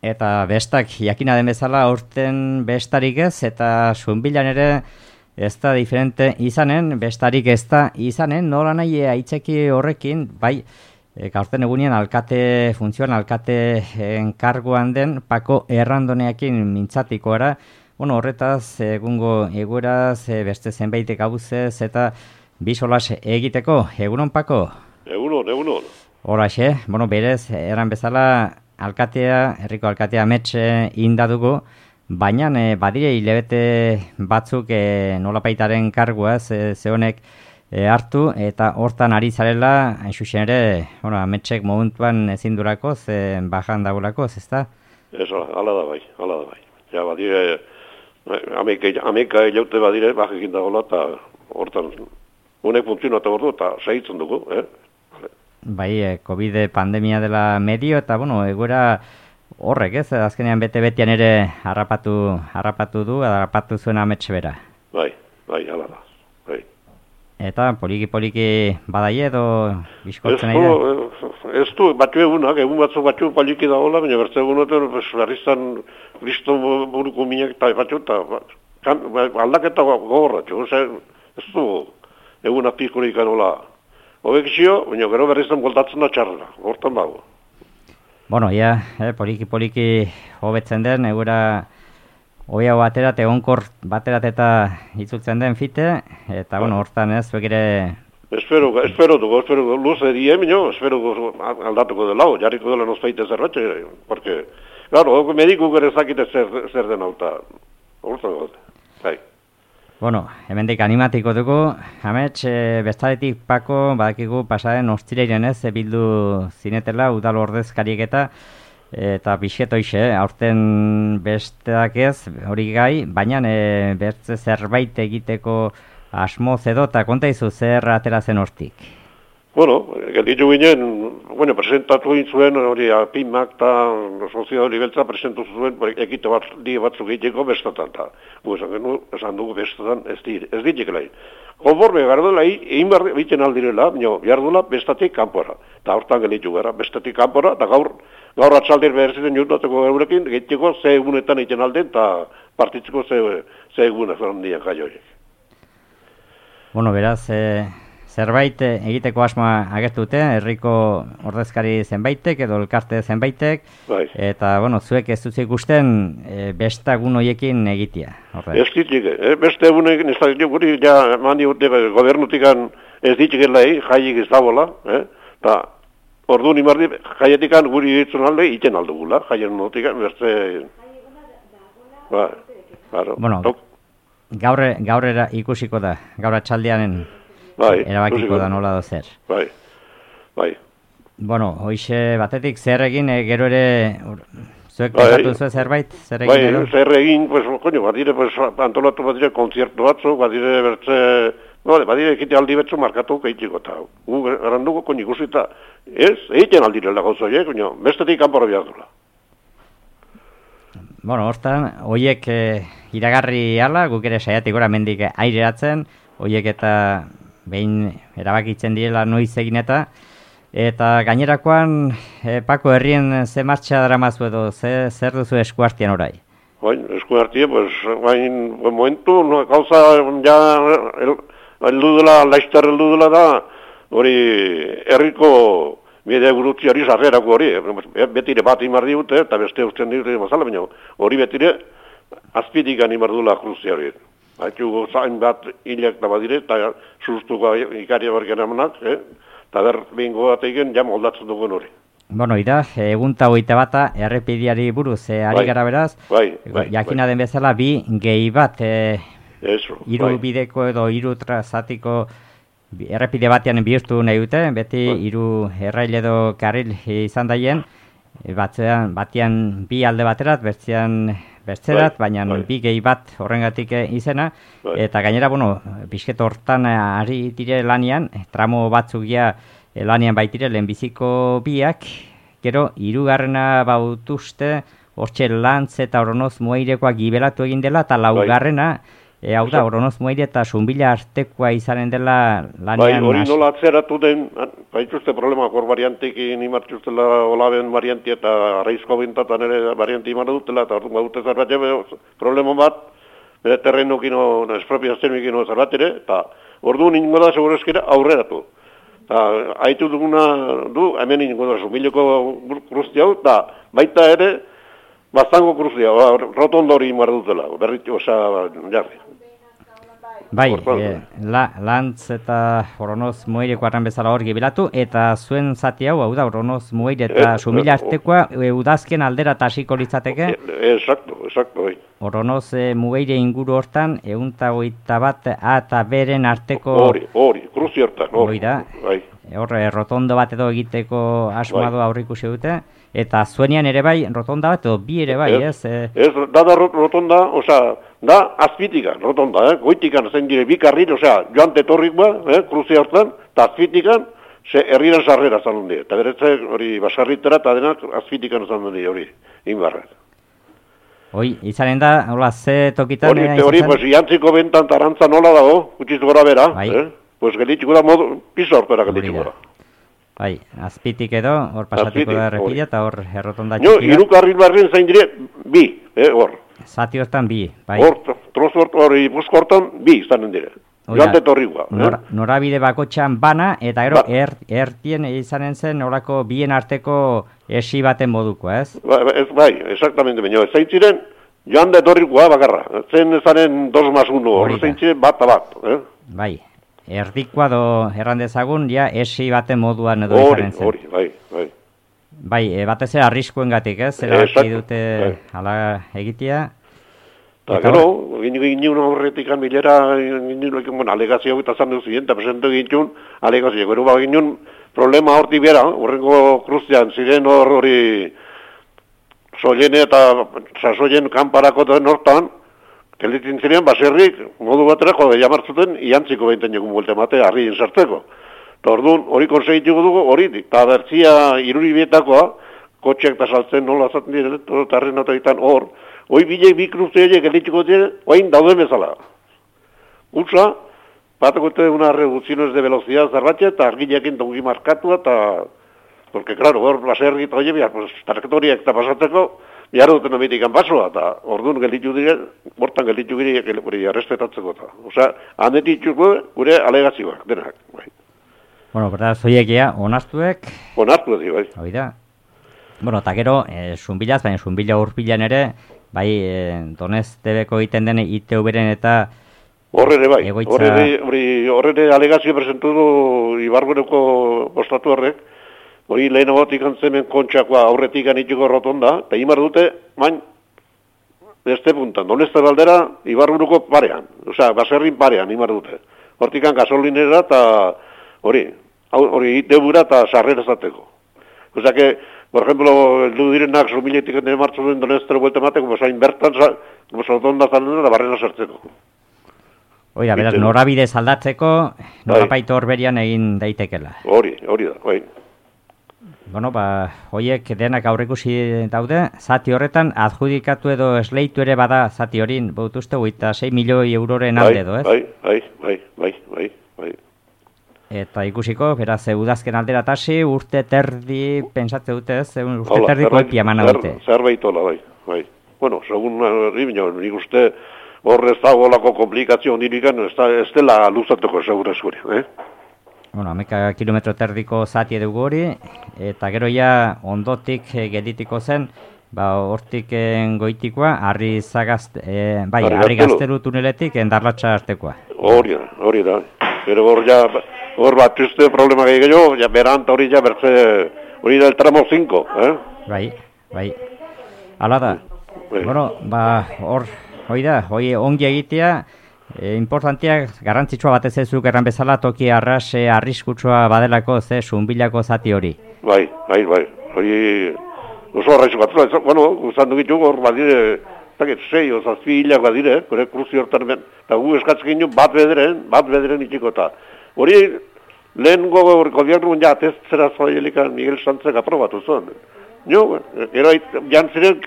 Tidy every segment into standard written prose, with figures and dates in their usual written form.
eta bestak jakina den bezala aurten bestarik ez, eta Sunbilan ere ez da diferente izanen, bestarik ez da izanen, nola nahi aitzeki horrekin, bai, gaurten egunean funtzioan alkate enkarguan den Pako Errandoneakin mintzatiko era, bueno, horretaz, egungo egueraz, beste zenbaitek abuzez, eta bisolas egiteko, egunon Pako? Egunon. Horaxe, bueno, berez, eran bezala, herriko alkatea ametxe indadugu, baina badire hilabete batzuk nolapaitaren kargua ze honek hartu, eta hortan ari zarela, hain zuzen ere, bueno, ametxek momentuan ezin durako, bajan dagulako, ezta? Eso, ala da bai. Ja, badire, ameka jaute badire, bajekin dagoela, eta hortan, honek funtzionatu ordu, eta segitzen dugu, Bai, COVID pandemia dela medio, eta, bueno, egoera horrek, ez? Azkenean bete-betean ere harrapatu zuen ametxe bera. Bai, ala da. Bai. Eta poliki badai edo bizkortzen nahi da? Ez du, egun batzu poliki da hola, baina bertze egunoten berriztan Kristo buruko minak eta batzu, eta aldaketa gogorratxo, ez du egun apikorik anola. Hobekizio, baina gero berriztan voltatzen da txarra, hortan dago. Bueno, poliki hobetzen den, egura hobea baterat, egonkor baterat eta itzultzen den fite, eta, bueno, hortan ez, zuek ere... Espero dugu, luze dien, espero aldatuko dela, jarriko dela nozpeite zerratxe, porque, claro, mediku gure zakite zer den hau, eta hortan gote, bai. Bueno, hemendik animatiko dugu, amets, bestaretik Pako, badakigu pasaren ostireiren ez, bildu zinetela, udal ordezkariek eta bixetoixe, aurten besteak ez, hori gai, baina bertze zerbait egiteko asmoz edo, eta konta izu zer atera zen hortik? Bueno, gelditu ginen, presentatu zuen hori PIMak eta Sozio hori beltza presentatu zuen ekite batzuk egiteko bestatan, eta esan dugu bestatan ez ditekela. Konforme gardela egin behar aldirela, behar duela bestatik kanpora, eta hortan gelditu gara, bestatik kanpora, eta gaur atxaldir behar ziren jutatuko eurekin, egiteko ze egunetan egiten alden, eta partitzeko ze egunak zandian jai horiek. Bueno, beraz, zerbait egiteko asmoa agertute, herriko ordezkari zenbaitek edo elkarte zenbaitek, bai. Eta, bueno, zuek ez dut ikusten bestagun horiekin egitea. Ez ditik, beste egunekin ez da guri, ja, mandi urte gobernutikan ez ditikela jaiik ez dagoela, eta ordu nimardi jaietikan guri ditzen alde, iten aldugula, jaien notikan, beste... Bai, claro. Bueno, gaur ikusiko da, gaur atxaldeanen... erabakiko da nola dozer. Bai. Bueno, hoixe batetik zer egin, gero ere zuek pentsatu zuen zerbait? Zer egin edo? Zer egin, badire, antolatu badire konziertu batzu, badire bertze, badire ekite aldi betzu markatu keitiko, eta garanduko ikusita, ez, egiten aldirela gauzoiek, bestetik kanpora behar dula. Bueno, hortan, hoiek iragarri ala, guk ere saiatik gora mendik aireratzen, hoiek eta behin erabakitzen direla noiz egin eta gainerakoan Pako herrien ze martxa daramazu edo zer duzu eskuartian orai? Eskuartian, momentu, gauza ja heldu dela, laiztar heldu dela da, hori herriko bidea gurutziari sarrerako hori, betire bat imar diute, eta beste usten diute mazala, baina hori betire azpitik animar dula kruzia hori. Haitxugo zain bat hilak da badire, eta sustuko ikaria bergen amanak, eta behingo bat egin jam moldatzen dugun hori. Bueno, egunta hogeita bata, errepidiari buruz, ari gara beraz, jakina den bezala bi gehi bat, hiru bideko edo hiru trazatiko errepide batean bihurtu nahi dute, beti hiru errail edo karril izan daien, batean bi alde baterat, besterat, baina bi gehi bat horrengatik izena, eta gainera, bizket hortan ari dire lanian, tramo batzugia lanian baitire lehenbiziko biak, gero, hirugarrena bautuzte, hortxe Lantz eta Oronoz Moairekoa gibelatu egin dela, eta laugarrena hau da, Oronoz Mueire eta Zunbila artekoa izanen dela lanean... Bai, hori nola atzeratu den, baituzte problema, hor variantekin imartxuztela Olaben varianti eta Arraizko bintatan ere varianti imar dutela, eta hor dute zerbait problema bat, bere terrenokino, espropiazionikino zerbait ere, eta hor du ningo da segurezkera aurreratu. Haitu duguna du, hemen ningo da Zunbileko kruzti hau, eta baita ere, Baztango kruzia, rotondo hori imar dutela, berritu, jarri. Bai, Lantz eta Oronoz Mueireko arran bezala hor gibilatu, eta zuen zati hau da, Oronoz Mueire eta Zumila artekoa, udazken aldera eta hasiko litzateke? Exacto, bai. Oronoz Mueire inguru hortan, 121 A eta B-ren arteko... Hori, kruzi hortan, hori da, rotondo bat edo egiteko asmado aurrikusi dute, eta zuenean ere bai, rotonda bat edo bi ere bai, ez? Ez, da rotonda, da azpitikan, rotonda, goitikan zen dire bi karril, joan tetorrik ba, kruzia hortan, eta azpitikan, herriran sarrera zan die, eta beretze hori basarritera, eta denak azpitikan zan die hori, inbarrak. Hoi, izanen da, hola, ze tokitan... Hori, jantziko bentan tarantza nola dago, gutxiz gora bera, pues gelitxiko da modu, piso hortera gelitxiko da. Bai, azpitik edo, hor pasatiko da errepila eta hor errotonda txikia. Hiru karril barren zain dire, bi, hor. Zati hortan bi, bai. Hor, trozo hori busko hortan, bi izanen dire. Joante torrikoa. Norabide bakotxan bana, eta gero ertien izanen zen horako bien arteko esi baten moduko, ez? Bai, exactamente, baina ez zain ziren, joante torrikoa bakarra. Zen ezanen 2+1, hor zain ziren bat. Bai. Erdikoa do errandezagun, ja, esi baten moduan edo izaren zen. Hori, bai. Bai, batez ere arriskuen gatik, ez? Zeraki dute ala egitea. Eta gero, ginen horretikan bilera, alegazio eta zan duzien, eta presente ginen alegazio. Gero ginen problema horti bera, horrengo kruzian, ziren hori soilene eta sasoien kanparako den hortan, Kelitzen ziren, baserrik, modu baterako da jamartzuten, iantziko behinten jogun buelte mate, harri insartzeko. Eta orduan, hori konsegituko dugu, hori, eta bertzia iruribietakoa, kotxeak eta saltzen nola zaten dire, eta harri notoetan hor, hoi bilek bi kruzte horiek elitziko dire, oain dauden bezala. Utsa, batakote una reducciones de velocidad zarbatxe, eta argilekin dongi markatua, eta, porque, claro, hor, baserrik eta hori, pues, trajektoriak eta pasatzeko, Biar duten omitikan pasoa, eta orduan gelditu dire, bortan gelditu dire, arrespetatzeko eta. Handetitzuko gure alegazioak, denak. Bai. Bueno, berda, zoiekia, onartuek? Onartuek, bai. Hoi da. Bueno, eta gero, Zunbilaz, baina Zunbila urpilan ere, bai, Donestebeko egiten den ITV-ren eta... Horrere, bai. Horrere alegazio presentu du Ibargoreko ostatu horrek, hori lehenagotik antzemen kontxakoa aurretik anitxiko rotonda, eta imar dute, main, beste puntan, Doneste baldera, Ibarburuko parean, baserrin parean imar dute. Hortikan gasolinera eta hori itebura eta sarrera zateko. Por ejemplo, el direnak Zumiletik ene martzu den Donestero buelte mateko, zain bertan, rotonda zalen da barrena sartzeko. Oida, beraz, norabide aldatzeko, norapaitu horberian egin daitekela. Hori da, bai. Bueno, hoiek denak aurrekusi daude, zati horretan adjudikatu edo esleitu ere bada zati horin, bautuzte 6 milioi euroren alde edo, ez? Bai. Eta ikusiko, beraz, udazken aldera tasi, urte terdi, pensatze dute ez, urte terdiko epia mana dute. Zerbaitola, bai. Bueno, segun nik uste horrez dagoelako komplikazio ondirikan, ez dela luzatuko segurezkuri, Bueno, 11 kilometro terdiko zati dugu hori, eta gero ja ondotik gelditiko zen, hortik goitikoa, harri gazteru tuneletik endarlatxa artekoa. Hori da. Pero hor bat uste problema gehiago, beranta hori bertze, hori da el tramo 5, Bai. Hala da. Bueno, hori ongi egitea, importantiak garrantzitsua batez ezuk erran bezala toki arriskutsua badelako Zunbilako zati hori. Bai. Hori oso arriskutsua. Bueno, guztan dugitu hor badire, 6 o 7 hilak badire, gure kruzi hortan ben. Eta gu eskatzen ginen bat bederen itxiko eta. Hori lehengo gobiernu ateztzera zoielikan Miguel Santzek aprobatu zuen. Ero jantziren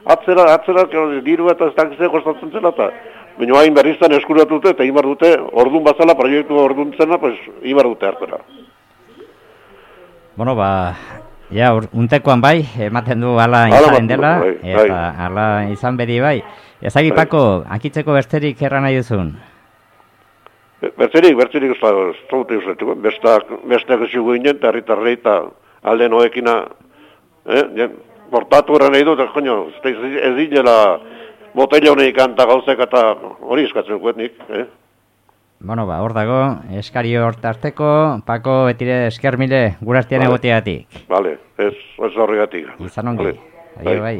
atzera diru eta ez dakizea kostatzen zela eta baina hain berriztan eskuratute eta imar dute, ordun bazala, proiektu ordun zena, pues, imar dute hartera. Bueno, ja, untekoan bai, ematen du ala izanen dela, eta ala izan bedi bai. Ezagik, Pako, akitzeko besterik erran nahi duzun? Bertzerik, ez zaute usaituko. Besteak ez jugu inen, eta herritarrei eta alde noekina, portatu erran nahi dut, ez dinela botella honek kanta gauzek eta hori eskatzen guetnik. Bueno, hor dago, eskari hor tarteko, Pako, betire esker mile, gure artean egoteatik. Vale, ez horregatik. Izan ongi, bai.